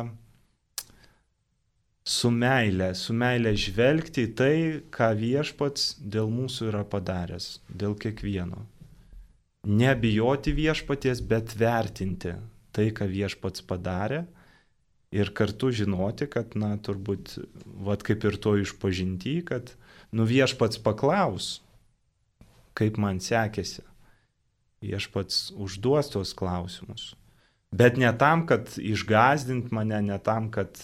su meilė, su meilė žvelgti į tai, ką viešpats dėl mūsų yra padaręs, dėl kiekvieno. Nebijoti viešpaties, bet vertinti tai, ką viešpats padarė ir kartu žinoti, kad, na, turbūt, vat kaip ir to išpažinti, kad, nu, viešpats paklaus, kaip man sekėsi. Viešpats užduos tos klausimus. Bet ne tam, kad išgąsdint mane, ne tam, kad,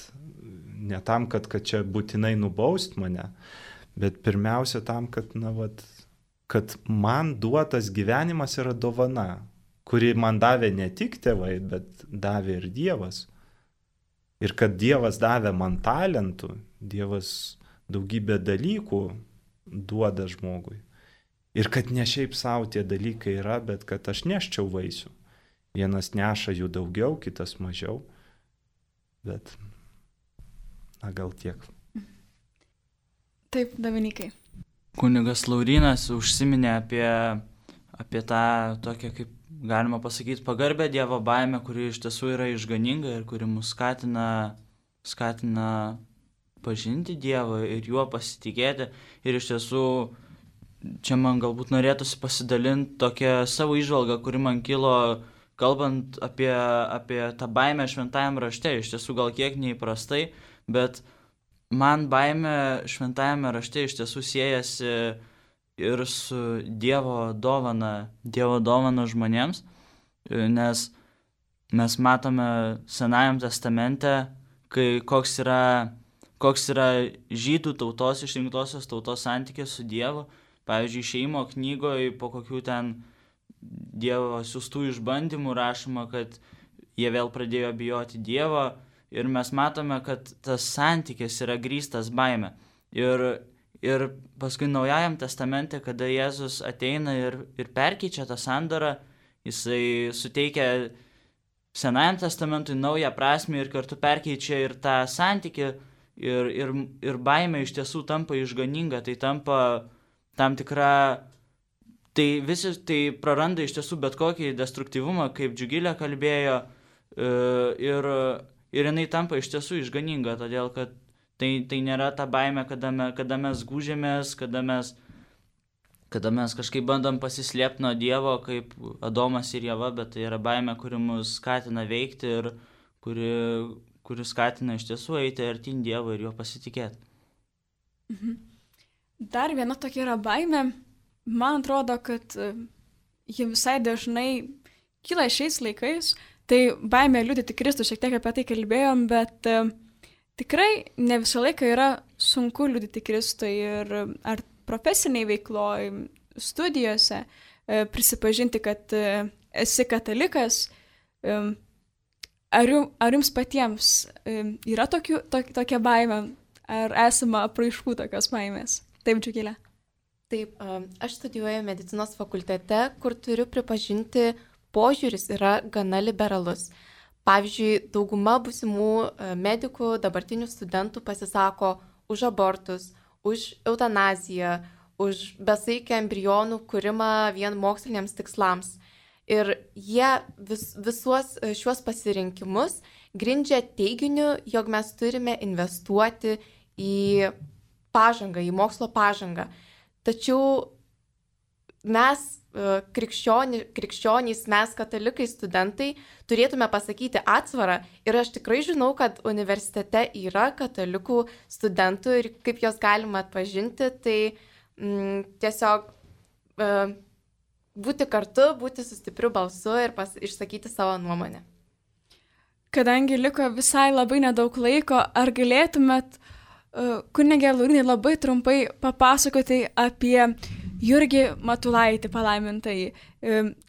ne tam, kad, kad čia būtinai nubaust mane, bet pirmiausia tam, kad, na, vat, kad man duotas gyvenimas yra dovana, kuri man davė ne tik tėvai, bet davė ir Dievas. Ir kad Dievas davė man talentų, Dievas daugybę dalykų duoda žmogui. Ir kad ne šiaip savo tie dalykai yra, bet kad aš neščiau vaisių. Vienas neša jų daugiau, kitas mažiau. Bet, na, gal tiek. Taip, Dominikai. Kunigas Laurynas užsiminė apie, apie tą tokią, kaip galima pasakyti, pagarbę Dievo baimę, kuri iš tiesų yra išganinga ir kuri mus skatina, skatina pažinti Dievą ir juo pasitikėti. Ir iš tiesų čia man galbūt norėtųsi pasidalinti tokią savo įžvalgą, kuri man kilo, kalbant apie, apie tą baimę šventajame rašte. Iš tiesų gal kiek neįprastai, bet man baimė šventajame rašte iš tiesų siejasi ir su Dievo dovana, Dievo dovana žmonėms, nes mes matome Senajam testamente, kai koks yra, koks yra žydų tautos, išrinktosios tautos santykis su Dievu. Pavyzdžiui, Išėjimo knygoje po kokių ten Dievo siųstų išbandymų rašoma, kad jie vėl pradėjo bijoti Dievo ir mes matome, kad tas santykis yra grįstas baime. Ir, ir paskui Naujajam testamente, kada Jėzus ateina ir, ir perkeičia tą sandorą, jisai suteikia Senajam testamentui naują prasmę ir kartu perkeičia ir tą santykį ir, ir, ir baimė iš tiesų tampa išganinga, tai tampa tam tikra, tai visi tai praranda iš tiesų bet kokį destruktyvumą, kaip Džiugilė kalbėjo, ir, ir jinai tampa iš tiesų išganinga, todėl kad tai, tai nėra ta baimė, kada, me, kada mes gūžėmės, kada mes, kada mes kažkaip bandom pasislėpti nuo Dievo, kaip Adomas ir Ieva, bet tai yra baimė, kuri mus skatina veikti ir kuri, kuri skatina iš tiesų eiti artyn Dievo ir jo pasitikėti. Mhm. Dar viena tokia yra baimė. Man atrodo, kad ji visai dažnai kyla šiais laikais. Tai baimė liudyti Kristų, šiek tiek apie tai kalbėjom, bet uh, tikrai ne visą laiką yra sunku liudyti Kristui ir ar profesiniai veikloj, studijose, uh, prisipažinti, kad uh, esi katalikas. Um, ar, jum, ar jums patiems um, yra tokių, to, tokia baimė, ar esama apraiškų tokios baimės? Taip, Džiugilė. Taip, aš studijuoju medicinos fakultete, kur turiu pripažinti, požiūris yra gana liberalus. Pavyzdžiui, dauguma būsimų medikų, dabartinių studentų pasisako už abortus, už eutanaziją, už besaikį embrionų kūrimą vien moksliniams tikslams. Ir jie vis, visuos šiuos pasirinkimus grindžia teiginiu, jog mes turime investuoti į pažangą, į mokslo pažangą. Tačiau mes, krikščioni, krikščionys, mes katalikai studentai, turėtume pasakyti atsvarą. Ir aš tikrai žinau, kad universitete yra katalikų studentų ir kaip jos galima atpažinti, tai mm, tiesiog e, būti kartu, būti su stipriu balsu ir pas, išsakyti savo nuomonę. Kadangi liko visai labai nedaug laiko, ar galėtumėt kunige Laurynai labai trumpai papasakoti apie Jurgį Matulaitį palaimintąjį.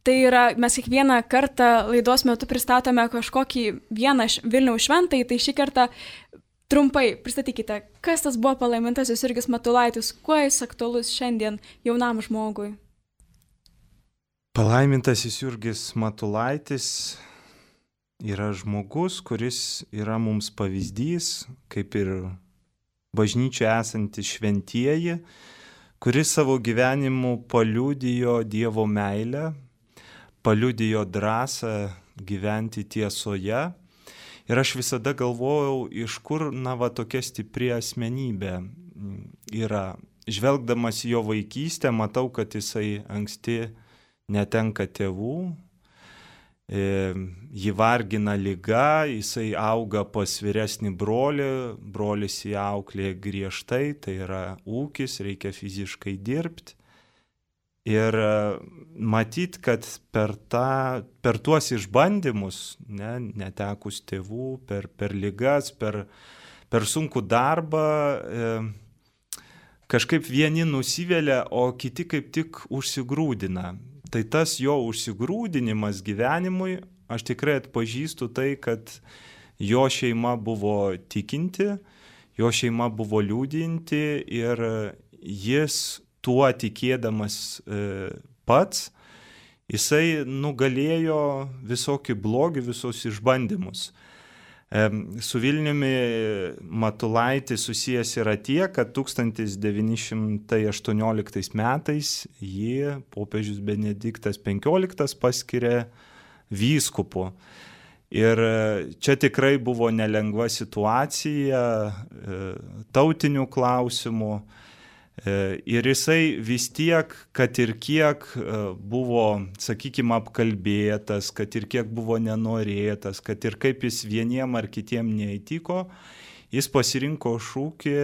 Tai yra, mes kiekvieną kartą laidos metu pristatome kažkokį vieną Vilniaus šventąjį, tai šį kartą trumpai pristatykite, kas tas buvo palaimintasis Jurgis Matulaitis, kuo jis aktualus šiandien jaunam žmogui. Palaimintasis Jurgis Matulaitis yra žmogus, kuris yra mums pavyzdys, kaip ir bažnyčioje esantys šventieji, kuris savo gyvenimu paliudijo Dievo meilę, paliudijo drąsą gyventi tiesoje. Ir aš visada galvojau, iš kur, na, va, tokia stipri asmenybė yra. Žvelgdamas jo vaikystę, matau, kad jisai anksti netenka tėvų, jį vargina liga, jisai auga pas vyresnį brolį, brolis jį auklėja griežtai, tai yra ūkis, reikia fiziškai dirbti. Ir matyt, kad per, tą, per tuos išbandymus, ne, netekus tėvų, per, per ligas, per, per sunkų darbą, e, kažkaip vieni nusivelia, o kiti kaip tik užsigrūdina. Tai tas jo užsigrūdinimas gyvenimui, aš tikrai atpažįstu tai, kad jo šeima buvo tikinti, jo šeima buvo liūdinti ir jis tuo tikėdamas e, pats, jisai nugalėjo visokį blogį, visus išbandymus. E, su Vilniumi Matulaitis susijęs yra tie, kad tūkstantis devyni šimtai aštuonioliktais metais jį popiežius Benediktas penkioliktas paskyrė vyskupu. Ir čia tikrai buvo nelengva situacija, tautinių klausimų. Ir jisai vis tiek, kad ir kiek buvo, sakykime, apkalbėtas, kad ir kiek buvo nenorėtas, kad ir kaip jis vieniem ar kitiem neįtiko, jis pasirinko šūkį,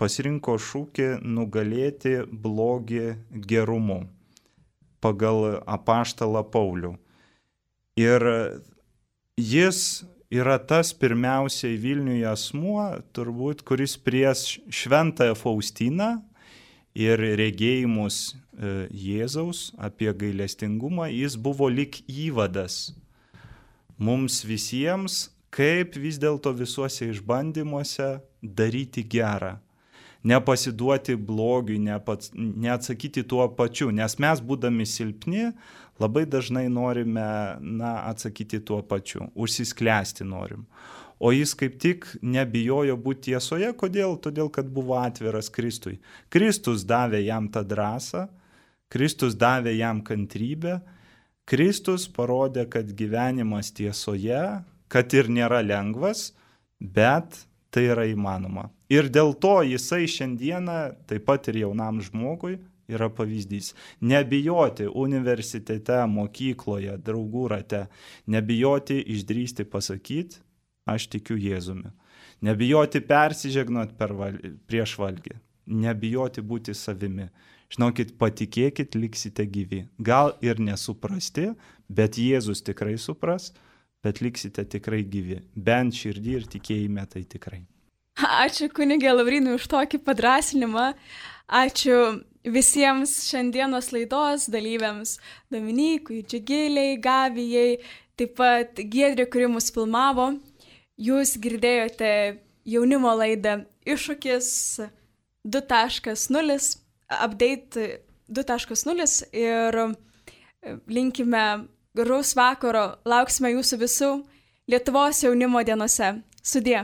pasirinko šūkį nugalėti blogį gerumu pagal apaštalą Paulių. Ir jis yra tas pirmiausiai Vilniuje asmuo, turbūt, kuris prieš šventąją Faustiną ir regėjimus Jėzaus apie gailestingumą, jis buvo lyg įvadas mums visiems, kaip vis dėlto visuose išbandymuose daryti gerą. Nepasiduoti blogiui, nepats, neatsakyti tuo pačiu, nes mes, būdami silpni, labai dažnai norime na, atsakyti tuo pačiu, užsisklęsti norim. O jis kaip tik nebijojo būti tiesoje. Kodėl? Todėl, kad buvo atviras Kristui. Kristus davė jam tą drąsą, Kristus davė jam kantrybę, Kristus parodė, kad gyvenimas tiesoje, kad ir nėra lengvas, bet tai yra įmanoma. Ir dėl to jisai šiandieną, taip pat ir jaunam žmogui, yra pavyzdys. Nebijoti universitete, mokykloje, draugų rate, nebijoti išdrįsti pasakyti, aš tikiu Jėzumi. Nebijoti persižegnot per val... prieš valgį. Nebijoti būti savimi. Žinokit, patikėkit, liksite gyvi. Gal ir nesuprasti, bet Jėzus tikrai supras, bet liksite tikrai gyvi. Bent širdį ir tikėjime tai tikrai. Ačiū kunigė Laurynui už tokį padrasinimą. Ačiū visiems šiandienos laidos dalyviams, Dominykui, Džigiliai, Gabijai, taip pat Giedrė, kuri mus filmavo. Jūs girdėjote jaunimo laidą Iššūkis du taškas nulis, update du taškas nulis ir linkime gražaus vakaro, lauksime jūsų visų Lietuvos jaunimo dienose. Sudie.